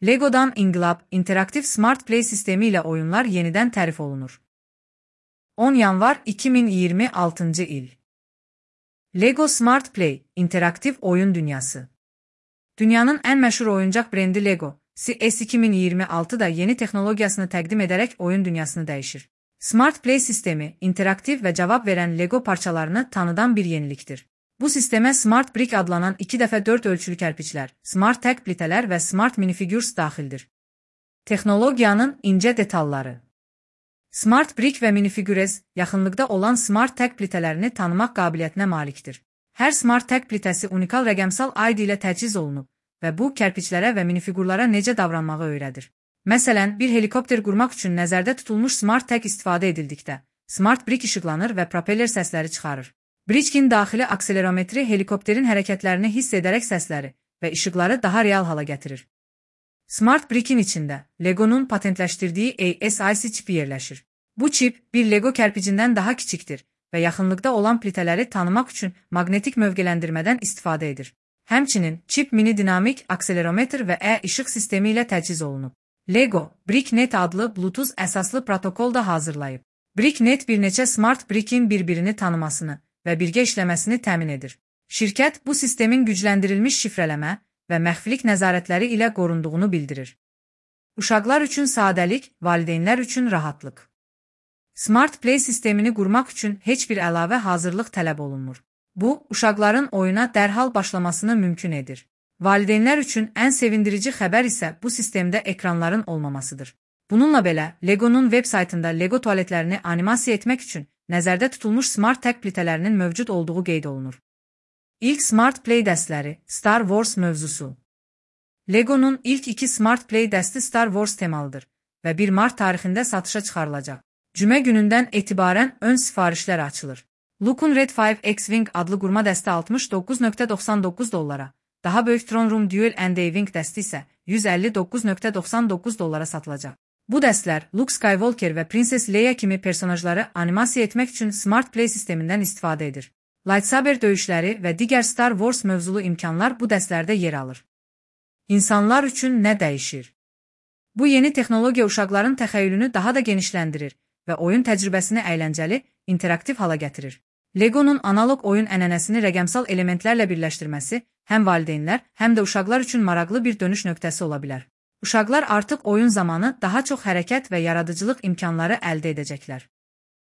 Lego'dan İnqilab interaktiv Smart Play sistemi ile oyunlar yeniden tərif olunur. 10 yanvar 2026 il. Lego Smart Play interaktiv oyun dünyası. Dünyanın ən məşhur oyuncaq brendi Lego, S2026'da yeni texnologiyasını təqdim edərək oyun dünyasını dəyişir. Smart Play sistemi, interaktiv və cavab verən Lego parçalarını tanıdan bir yenilikdir. Bu sistemə Smart Brick adlanan 2x4 ölçülü kərpiçlər, Smart Tag plitələr və Smart Minifigures daxildir. Texnologiyanın incə detalları. Smart Brick və Minifigures yaxınlıqda olan Smart Tag plitələrini tanımaq qabiliyyətinə malikdir. Hər Smart Tag plitəsi unikal rəqəmsal ID ilə təchiz olunub və bu, kərpiçlərə və minifigurlara necə davranmağı öyrədir. Məsələn, bir helikopter qurmaq üçün nəzərdə tutulmuş Smart Tag istifadə edildikdə, Smart Brick işıqlanır və propeller səsləri çıxarır. Brick'in daxili akselerometri helikopterin hərəkətlərini hiss edərək səsləri və işıqları daha real hala gətirir. Smart Brick'in içində Lego'nun patentləşdirdiyi ASIC çipi yerləşir. Bu çip, bir Lego kərpicindən daha kiçikdir və yaxınlıqda olan plitələri tanımaq üçün maqnetik mövqeləndirmədən istifadə edir. Həmçinin, çip mini-dinamik akselerometr və işıq sistemi ilə təchiz olunub. Lego, BrickNet adlı Bluetooth əsaslı protokol da hazırlayıb. BrickNet bir neçə Smart Brick'in bir-birini tanımasını və birgə işləməsini təmin edir. Şirkət bu sistemin gücləndirilmiş şifrələmə və məxfilik nəzarətləri ilə qorunduğunu bildirir. Uşaqlar üçün sadəlik, valideynlər üçün rahatlıq. Smart Play sistemini qurmaq üçün heç bir əlavə hazırlıq tələb olunmur. Bu, uşaqların oyuna dərhal başlamasını mümkün edir. Valideynlər üçün ən sevindirici xəbər isə bu sistemdə ekranların olmamasıdır. Bununla belə, Lego'nun web saytında Lego tualetlərini animasiya etmək üçün nəzərdə tutulmuş Smart Tag plitələrinin mövcud olduğu qeyd olunur. İlk Smart Play dəstləri Star Wars mövzusu. Lego'nun ilk 2 Smart Play dəsti Star Wars temalıdır və 1 mart tarixində satışa çıxarılacaq. Cümə günündən etibarən ön sifarişlər açılır. Luke'un Red 5 X-Wing adlı qurma dəsti $69.99, daha böyük Throne Room Duel and A-Wing dəsti isə $159.99 satılacaq. Bu dəstlər Luke Skywalker və Princess Leia kimi personajları animasiya etmək üçün Smart Play sistemindən istifadə edir. Lightsaber döyüşləri və digər Star Wars mövzulu imkanlar bu dəstlərdə yer alır. İnsanlar üçün nə dəyişir? Bu yeni texnologiya uşaqların təxəyyülünü daha da genişləndirir və oyun təcrübəsini əyləncəli, interaktiv hala gətirir. Lego'nun analog oyun ənənəsini rəqəmsal elementlərlə birləşdirməsi həm valideynlər, həm də uşaqlar üçün maraqlı bir dönüş nöqtəsi ola bilər. Uşaqlar artıq oyun zamanı daha çox hərəkət və yaradıcılıq imkanları əldə edəcəklər.